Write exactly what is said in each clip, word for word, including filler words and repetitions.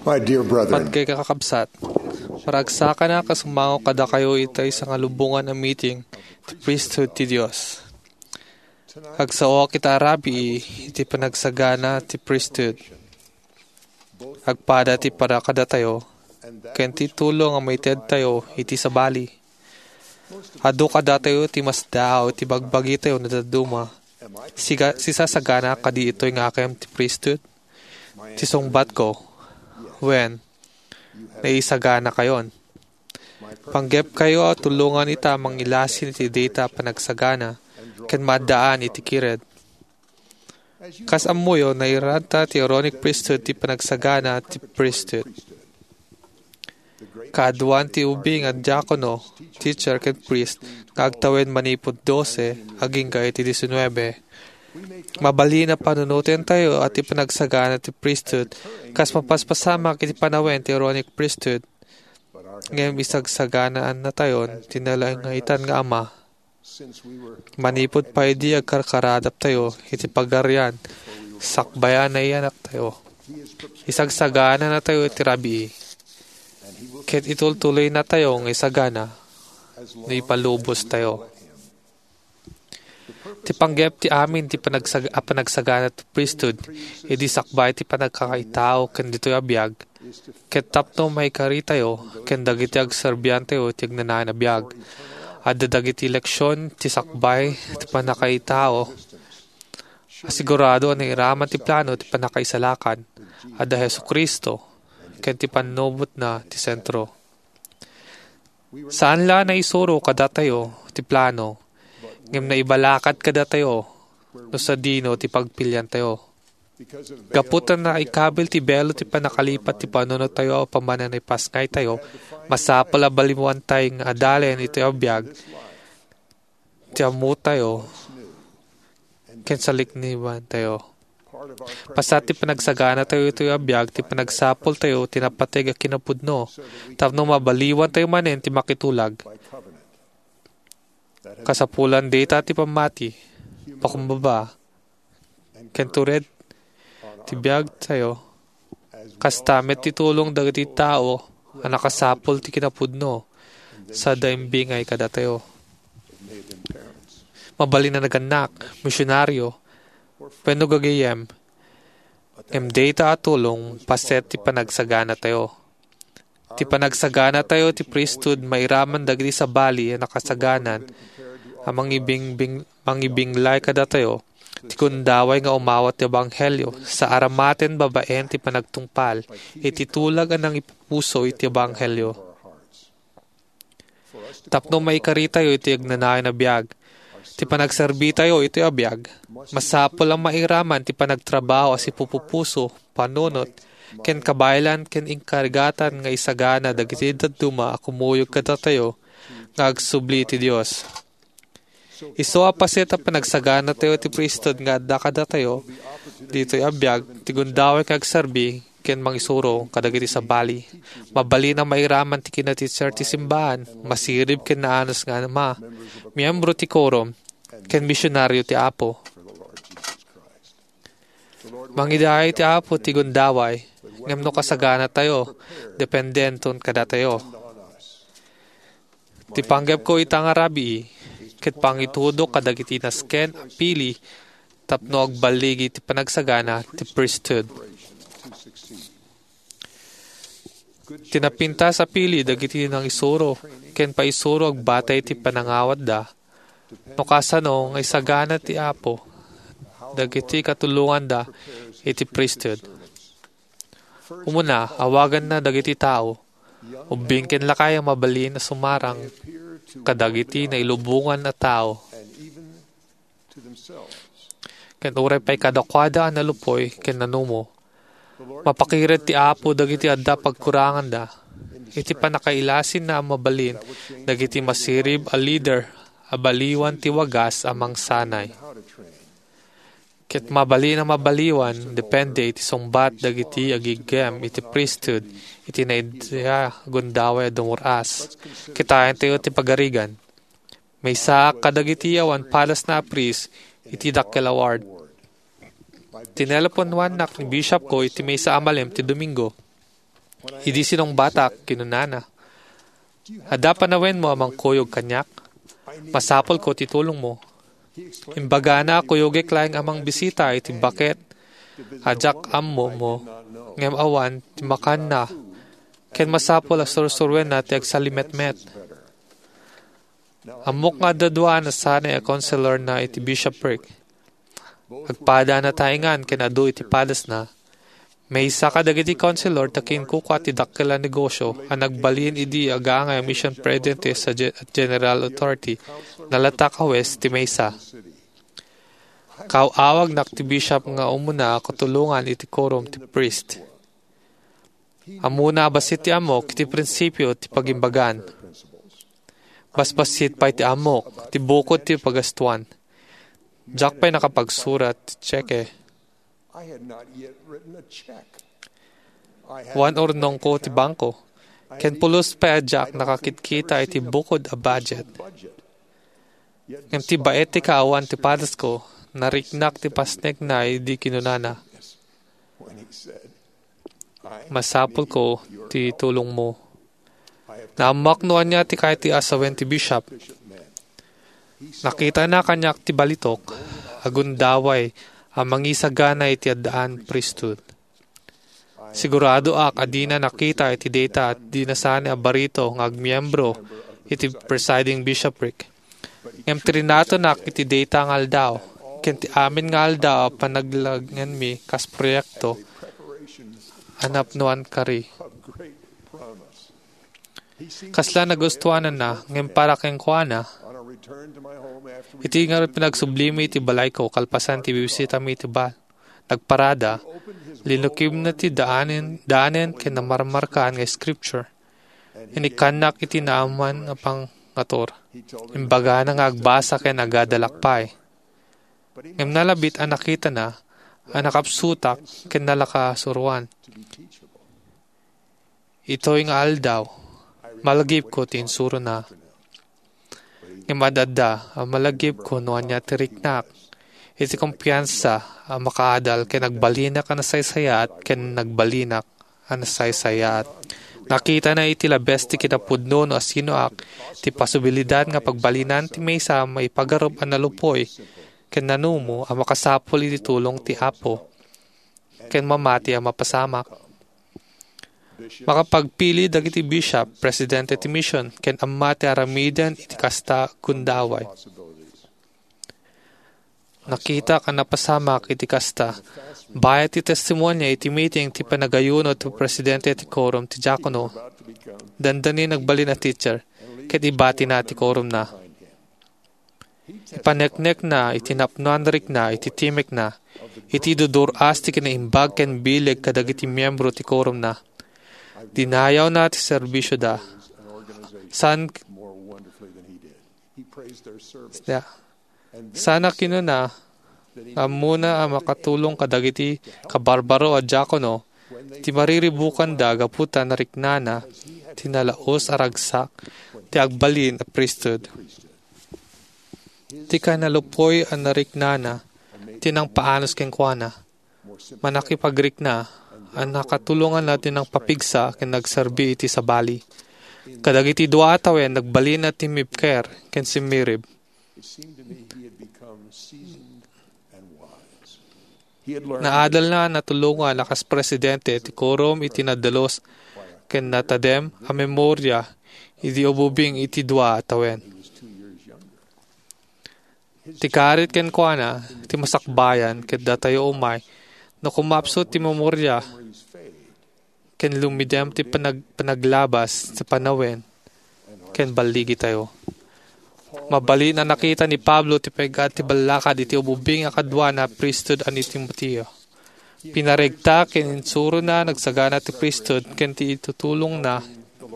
My dear brethren, Patgay kakabsat, maragsakanak a sumangok kadakayo ita maysa nga lubongan a meeting ti priesthood ti Dios. Agsaoak ita a rabii iti panagsagana ti priesthood. Agpada ti para kadatayo ken ti tulong a maitedtayo iti sabali. Adu kadatayo ti masdaaw iti bagbagitayo nga dadduma. Siga-, sisasagana kadi itoy nga akem ti priesthood? Ti sungbatko, wen, naisaganakayon. Panggepkayo a tulongan ita a mangilasin iti dayta a panagsagana ken maaddaan iti kired. Kas ammoyo, nairanta ti Aaronic priesthood ti panagsagana ti priesthood. Kaaduan ti ubing a diakono, teacher, ken priest nga agtawen manipud dose agingga iti diecinuebe. Mabalin a panunotentayo a ti panagsagana ti priesthood kas mapaspasamak iti panawen ti Aaronic priesthood, ngem isagsaganaannatayon ti nalaingaitan nga Ama. Manipud pay idi agkarkaradaptayo iti Pagarian, sakbay a naiyanaktayo, isagsaganatayo iti rabii, ket itultuloynatayo nga isagana no ipalubostayo. Ti panggep ti amin ti panagsag-, a panagsagana ti priesthood idi sakbay ti panagkakaitao ken ditoy a biag, ket tapno maikaritayo ken dagiti agserbiantayo iti agnanayon a biag. Adda dagiti leksion ti sakbay ti pannakaitao a sigurado a nairaman ti plano ti pannakaisalakan. Adda Jesu-Cristo ken ti pannubotna ti sentro. Saan la a naisuro kadatayo ti plano, ngem naibalakad kadatayo no sadino ti pagpiliantayo. Gapu ta naikabil ti belo ti pannakalipat ti panunottayo apaman a naipasngaytayo, masapul a baliwantay nga adalen iti biag ti ammotayo ken saliknibantayo. Paset ti panagsaganatayo iti biag ti panagsapultayo ti napateg a kinapudno tapno mabaliwantayo manen ti makitulag. Kasapulan dayta ti pammati, pakumbaba, ken tured ti biagtayo. Kasta met ti tulong dagiti tao a nakasapul ti kinapudno, sada imbingay kadatayo. Mabalin a nagannak, misionaryo, wenno gagayyem, ngem dayta a tulong paset ti panagsaganatayo. Ti panagsaganatayo ti priesthood mairaman dagiti sabali a nakasaganan a mangibingbing-, mangibinglay kadatayo ti gundaway nga umawat ti ebanghelio sa aramaten babaen ti panagtungpal iti tulag a nangipupuso iti ebanghelio. Tapno maikaritayo iti agnanayon a biag, ti panagserbitayo iti biag, masapul a mairaman ti panagtrabaho a sipupupuso, panunot, ken kabaelan ken inkarigatan nga isagana dagiti dadduma a kumuyog kadatayo nga agsubli iti Dios. Isu a paset a panagsaganatayo ti priesthood nga adda kadatayo ditoy a biag ti gundaway nga agserbi ken mangisuro kadagiti sabali. Mabalin a mairaman ti kinatitser ti simbaan, masirib ken naanus nga ama, miyembro ti korom, ken misionaryo ti Apo. Mangidaay ti Apo ti gundaway, ngem no kasaganatayo, dependenton kadatayo. Ti panggepko ita nga rabii, ket pangitudok kadagiti nasken a pili tapno agballigi ti panagsagana ti priesthood. Ti napintas a pili dagiti nangisuro ken paisuro agbatay ti panangawatda, no kasano nga isagana ti Apo dagiti katulonganda iti priesthood. Umuna, awaganna dagiti tao, ubbing ken lakay a mabalin a sumarang kadagiti nailubongan a tao, ken uray pay kadakuada a nalupoy ken nanumo. Mapakired ti Apo dagiti adda pagkuranganda iti pannakailasinna a mabalin dagiti masirib a leader a baliwan ti wagas a mangsanay. Ket mabalin a mabaliwan, depende iti sungbat dagiti agiggem iti priesthood iti naidda a gundaway a dumur-as. Kitayentayo ti pagarigan. Maysaak kadagiti awan padasna a priest iti dakkel a ward. Tineleponuannak ni bishopko iti maysa a malem ti Domingo. Idi sinungbatak, kinunana, "Adda panawenmo a mangkuyog kaniak? Masapulko ti tulongmo." Imbagana a kuyogek laeng a mangbisita iti baket a diak ammo, ngem awan ti makanna, ken masapul a sursuruenna ti agsalimetmet. Ammok nga adda dua a nasanay a konselorna iti bishopric. Agpada a nataengan ken adu iti padasna, maysa kadagiti konselor ta kinkukua ti dakkel a negosio a nagbalin idi agangay a mission presidente sa ge-, General Authority, nalatak a hues ti maysa. Kaaw-awagnak ti bishop nga umuna a katulongan iti quorum ti priest. Ammona a bassit ti ammok iti prinsipio ti pagimbagan. Basbassit pay ti ammok ti bukod ti pagastuan. Diak pay nakapagsurat ti tseke. Wan urnongko ti bangko, ken pulos pay a diak nakakitkita iti bukod a budget. Ngem ti baet ti kaawan ti padasko, nariknak ti pasnekna idi kinunana, "Masapulko ti tulongmo." Naammoak no ania ti kayat ti asawen ti bishop. Nakitana kaniak ti balitok a gundaway a mangisagana iti addaan priesthood. Siguradoak a dina nakita iti dayta a di nasanay a barito nga agmiembro iti presiding bishopric. Ngem trinatonak iti dayta nga aldaw, ken ti amin nga aldaw a panaglagianmi kas proyekto a napnoan kari. Kasla nagustuananna, ngem para kenkuana, iti ngarud panagsublimi iti balayko kalpasan ti bibisitami iti ba-, nagparada, linukibna ti daanen, daanen ken namarmarkaan nga scripture. Inikkannak iti naaman a pangatur. Imbagana nga agbasa ken agadalak pay. Ngem nalabit a nakitana a nakapsutak ken nalakasuroan. Itoy nga aldaw, malagipko ti insurona. Ngem ad-adda a malagipko no ania ti riknak iti kumpiansa a makaadal ken agbalinak a nasaysayaat ken nagbalinak a nasaysayaat. Nakitana iti labes ti kinapudno no asinoak ti posibilidad nga pagbalinan ti maysa a maipagarup a nalupoy ken nanumo a makasapul iti tulong ti Apo ken mamati a mapasamak. Makapagpili dagiti bishop, presidente ti mission, ken amma ti aramiden iti kasta a gundaway. Nakitak a napasamak iti kasta. Bayat ti testimonia iti meeting ti panagayuno ti presidente ti quorum ti diakono. Dandani nagbalin a teacher, ket ibatina ti quorumna. Ipaneknekna iti napnoan rikna iti timekna, iti dudur-as ti kinaimbag ken bileg kadagiti miyembro ti quorumna. Dinayawna ti serbisioda. Saan, saan a kinuna, nga ammona a makatulong kadagiti kabarbaro a diakono ti mariribukanda gapu ta nariknana ti nalaus a ragsak ti agbalin a priesthood. Ti kanalupoy a nariknana ti nangpaanus kenkuana. Manakipagrikna a nakatulonganna ti nangpapigsa ken nagserbi iti sabali. Kadagiti dua a tawen, nagbalin a timmibker ken simmirib. Naadalna a natulongan a kas presidente ti quorum iti nadalus ken natadem a memoria idi ububing iti dua a tawen. Ti karit kenkuana ti masakbayan ket datayo umay no kumapsut ti memoria ken lumidem ti panag-, panaglabas ti panawen ken balligitayo. Mabalin a nakita ni Pablo ti peg-at ti ballakad iti ububing a kaduana a priesthood a ni Timoteo. Pinaregta ken insurona nagsagana ti priesthood ken ti itutulongna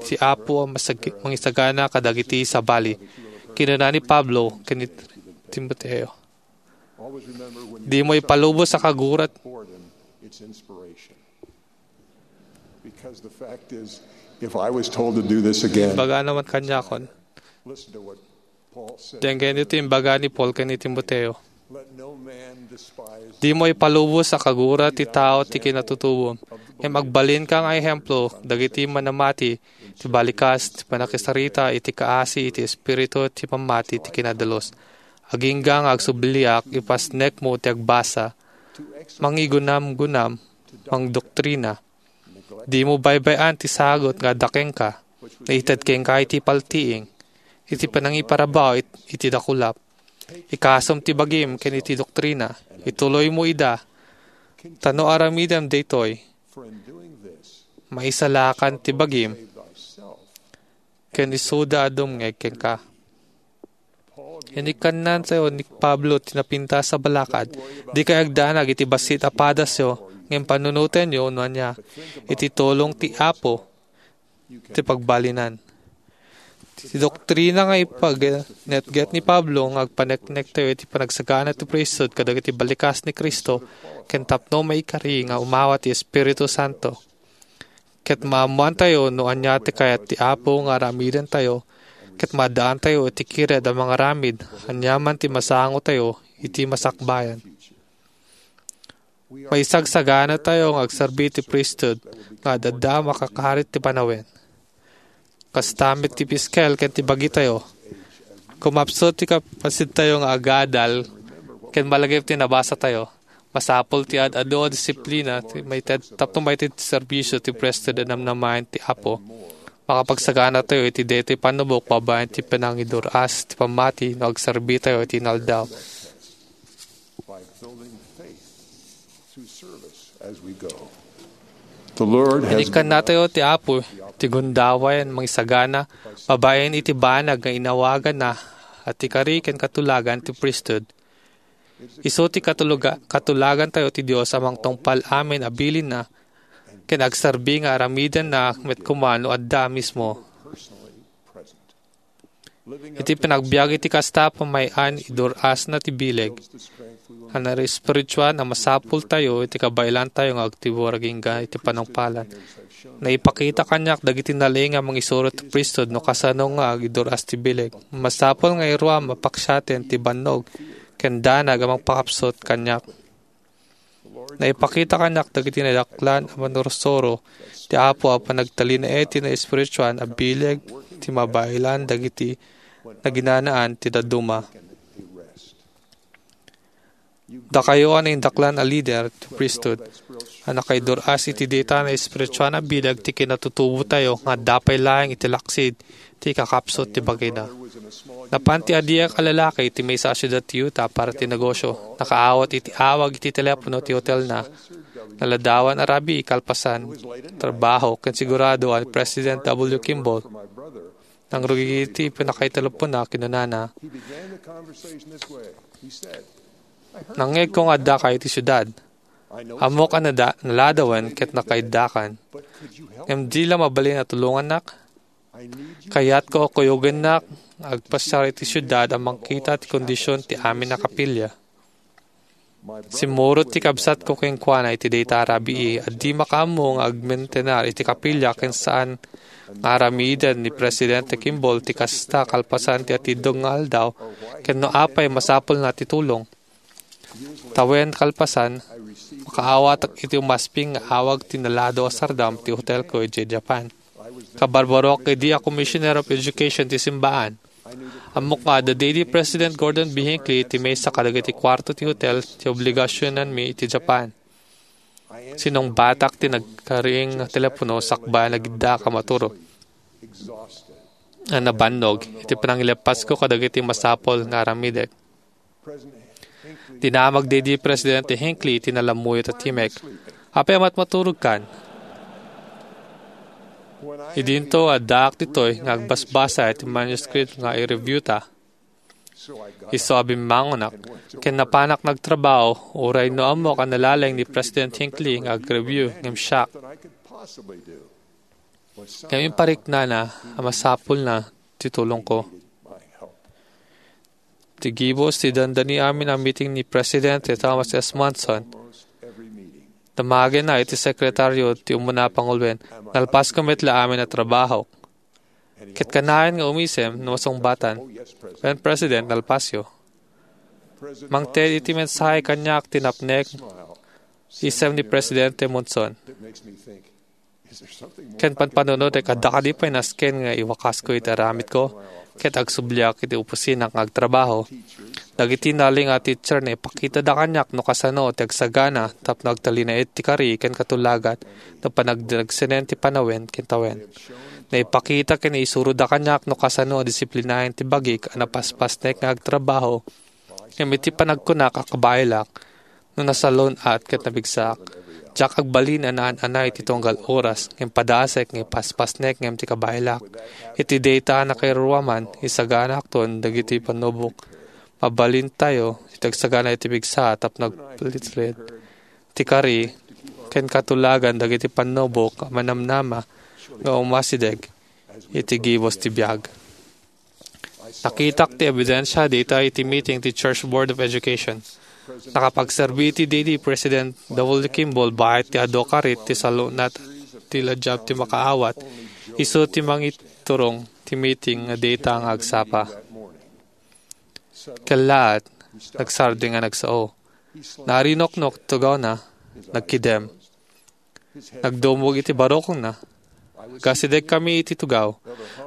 ti Apo a masag-, mangisagana kadagiti sabali. Kinuna ni Pablo ken ni Timoteo, "Dimo ipalubos a kagurat." Because the fact is, if I was told to do this again, Baga naman kanyakon. Listen to what Paul said. Denggen iti imbaga ni Paul ken ni Timoteo. Dimo ipalubos a kagura ti tao ti kinatutubom, ngem agbalinka nga ehemplo dagiti manamati ti balikas ti pannakisarita iti kaasi iti espiritu ti pammati ti kinadalus. Agingga nga agsubliak, ipasnekmo ti agbasa, mangigunamgunam, mangdoktrina. Dimo baybay-an ti sagut nga adda kenka, naited kenka iti paltiing, iti panangiparabaw it-, iti dakulap. Ikasom ti bagim ken iti doktrina, ituloymo ida, ta no aramidem daytoy, maisalakan ti bagim, ken isuda a dumngeg kenka. Inikkannatayo ni Pablo ti napintas a balakad, dikay agdanag iti bassit a padasyo, ngem panunotenyo no ania, iti tulong ti Apo ti pagbalinan. Ti doktrina nga ipagnetget ni Pablo nga agpaneknektayo iti panagsagana ti priesthood kadagiti balikas ni Cristo ken tapno maikari nga umawa ti Espiritu Santo. Ket maammoantayo no ania ti kayat ti Apo nga aramidentayo, ket maaddaantayo iti kired a mangaramid aniaman ti masangotayo iti masakbayan. Maisagsaganatayo nga agserbi ti priesthood nga ad-adda a makakarit ti panawen. Kasta met ti piskel ken ti bagitayo. Kumapsut ti kapasidtayo nga agadal ken malagip ti nabasatayo. Masapul ti ad-adu a disiplina ti maited tapno maited ti serbisio ti priesthood a namnamaen ti Apo. Makapagsaganatayo iti daytoy pannubok babaen ti panangidur-as ti pammati no agserbitayo iti inaldaw. By building faith through service as we go. The Lord has Inikkannatayo ti Apo ti gundaway a mangisagana babaen iti banag nga inawaganna a ti kari ken katulagan ti priesthood. Isu ti katuluga-, katulagantayo ti Dios a mangtungpal amin a bilinna ken agserbi nga aramidenna met koma no adda mismo. Iti panagbiag iti kasta a pamay-an, idur-asna ti bileg a naespirituan a masapultayo iti kabaelantayo nga agtibor agingga iti panungpalan. Naipakita kaniak dagiti nalaing a mangisuro ti priesthood no kasano nga agidur-as ti bileg. Masapul nga iruam a paksiaten ti bannog ken danag a mangpakapsut kaniak. Naipakita kaniak dagiti nadaklan a manursuro ti Apo a panagtalinaed ti naespirituan a bileg ti mabaelan dagiti naginanaan ti dadduma. Dakayo a naindaklan a lider ti priesthood a nakaidur-as iti dayta naespirituan a bileg ti kinatutubotayo nga adda pay laeng iti laksid ti ikakapsut ti bagina. Napan ti adiak a lalaki iti maysa a siudad ti Utah para ti negosio. Nakaawat iti awag iti telepono ti hotelna. Naladawan a rabii kalpasan trabaho ken sigurado a ni President W. Kimball nangrugigiti panakaitelepona. Kinunana, "Nangngegko nga addaka iti siudad. Ammok a nada-, naladawen ket nakaiddakan. Ngem di la mabalin a tulongannak? Kayatko a kuyogennak nga agpasiar iti siudad a mangkita ti kondisyon ti amin a kapilya." Simmurot ti kabsatko kenkuana iti dayta a rabii a di makaammo nga agmentenar iti kapilya ken saan nga aramiden ni Presidente Kimball ti kasta kalpasan ti atiddog nga aldaw ken no apay masapulna ti tulong. Tawen kalpasan, makaawatak iti umasping nga awag ti nalado a sardam ti hotelko idiay Japan. Kabarbaroak idi a Commissioner of Education ti simbaan. Ammok nga adda daydi President Gordon B. Hinckley iti maysa kadagiti kuarto ti hotel ti obligasionanmi iti Japan. Sinungbatak ti nagkaring nga telepono sakbay a nagiddaak a maturog. A nabannog iti panangileppasko kadagiti masapul nga aramidek. Dinamag daydi Presidente Hinckley iti nalammuyot a timek. "Apay a matmaturogkan?" Idinto, addaak ditoy nga agbasbasa iti manuscript nga i-review ta. Isu a bimmangonak, ken napanak nagtrabaho, uray no ammok a nalalaing ni President Hinckley nga ag-review, ngem siak. Ngem impariknana a masapulna ti tulongko. Ti gibus ti dandani amin a meeting ni Presidente Thomas S. Monson, damagenna iti sekretario ti umuna a panguloen, "Nalpasko met la amin a trabahok. Ket kanayon nga umisem no masungbatan." "Wen, President, nalpasyo." Mangted iti mensahe kaniak ti napnek, isem ni Presidente Monson. Ken panpanunot, adda kadi pay nasken nga iwakasko iti aramidko ket agsubliak iti opisina nga agtrabaho? Dagiti nalinged a teacher, naipakitada kaniak no kasano ti agsagana tapno agtalinaed ti kari ken katulagan no panagdinagsenen ti panawen ken tawen. Naipakita ken naisuroda kaniak no kasano a disiplinaen ti bagik a napaspasnek nga agtrabaho ngem iti panagkunak a kabaelak no nasalun-at ket nabigsaak. Diak agbalin a naan-anay ti tunggal oras ngem padasek nga ipaspasnek ngem ti kabaelak. Iti dayta a nakairuaman, isagaanakton dagiti pannubok. Mabalintayo iti agsagana iti bigsa tapno agpalitred ti kari ken katulagan dagiti pannubok a manamnama nga umasideg iti gibus ti biag. Nakitak ti ebidensia dayta iti meeting ti Church Board of Education. Nakapagserbi iti daydi President W. Kimball baet ti adu a karit ti salun-at ti ladiab ti makaawat. Isu ti mangiturong ti meeting nga dayta nga agsapa. Kellaat, nagsardeng a nagsao. Narinuknok ti tugawna, nagkidem. Nagdumog iti barukongna. Agasidegkami iti tugaw.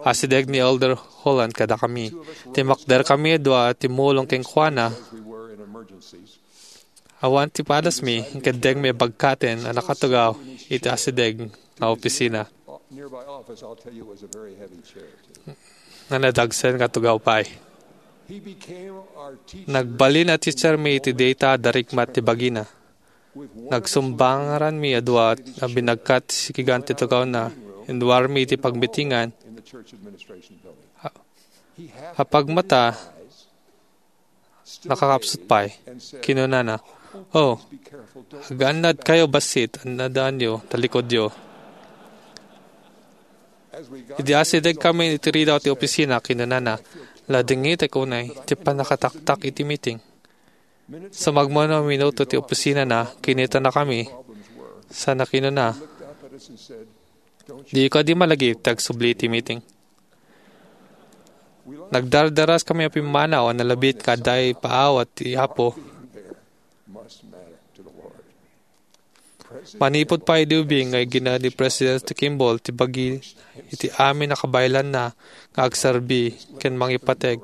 Asideg ni Elder Holland kadakami. Timmakderkami a dua a timmulong kenkuana. Awan ti padasmi, inkeddengmi a bagkaten a nakatugaw iti asideg nga opisina. Nga nadagsen nga tugaw pay. Nagbalin a teachermi iti dayta a darikmat ti bagina. Nagsumbangaranmi a dua a binagkat ti sikigan ti tugawna. Inwarmi iti pagmitingan. A-, apagmata, nakakapsut pay. Kinunana, "Oh, agannadkayo bassit, annadaanyo, talikudyo." Idi asidegkami iti ridaw ti opisina, kinunana, "Ladingitek unay ti pannakataktak iti meeting." Sumagmamano a minuto ti opisinana, kinitanakami. Sana kinuna, "Di kadi malagip ti agsubli ti meeting?" Nagdardaraskami a pimmanaw a nalabit nga adda ipaawat ti Apo. Manipud pay idi ubing nga igina ni President Kimball ti bagi iti amin a kabaelanna nga agsarbi ken mangipateg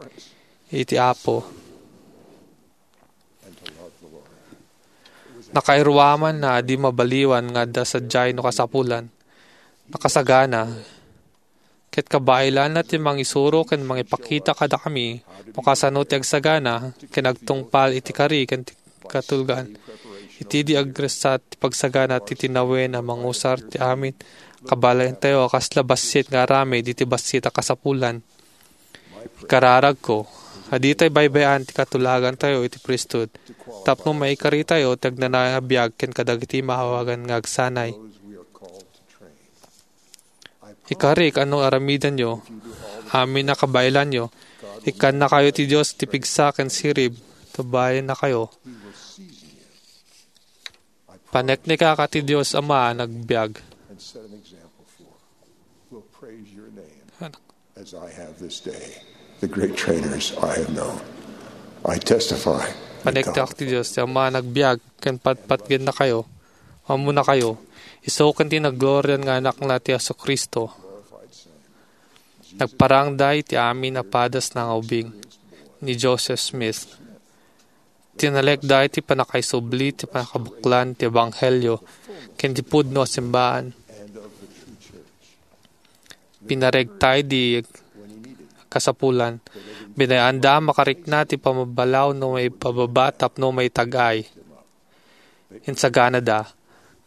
iti Apo. Nakairuamanna a di mabaliwan nga adda sadiay no kasapulan. Nakasagana, ket kabaelanna ti mangisuro ken mangipakita kadakami no kasano ti agsagana ken agtungpal iti kari ken ti katulgan. Iti di agressat ti pagsagana ti tinawen a mangusar ti amin kabaelantayo a kasla bassit nga aramid iti bassit a kasapulan. Ikararagko, a ditay baybay-an ti katulagantayo iti priesthood, tapno maikaritayo ti agnanayon a biag ken kadagiti maawagan nga agsanay. Ikarik a no aramidenyo amin a kabaelanyo, ikkannakayo ti Dios ti pigsa ken sirib, ta babaennakayo. Paneknekak a ti Dios Ama a nagbiag. As I have this day, the great trainers I have known. I testify that God Paneknekak ti Dios ti Ama a nagbiag ken patpatgennakayo, ammonakayo, isu ken ti nagglorian nga Anakna ti Jesu-Cristo. Nagparangda iti amin a padasna nga ubing ni Joseph Smith. Tinalekda iti pannakaisubli ti pannakabuklan ti ebanghelio ken ti pudno a simbahan. Pinaregta idi kasapulan. Binay-anda a makarikna ti pamabalaw no maipababa tapno maitag-ay. Insaganada,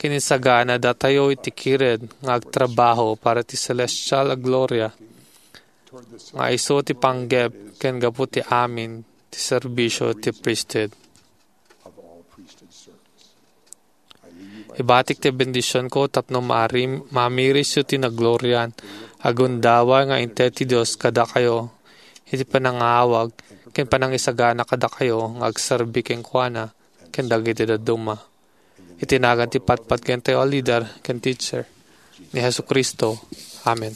ken insaganadatayo iti kired nga agtrabaho para ti celestial a gloria nga isu ti panggep ken gapu ti amin ti serbisio ti priesthood. Ibatik ti bendisionko tapno maarim-, maamirisyo ti nagglorian a gundaway nga inted ti Dios kadakayo iti panangawag ken panangisagana kadakayo nga agserbi kenkuana ken dagiti dadduma. Iti nagan ti patpatgentayo a leader ken teacher, ni Jesu-Cristo. Amen.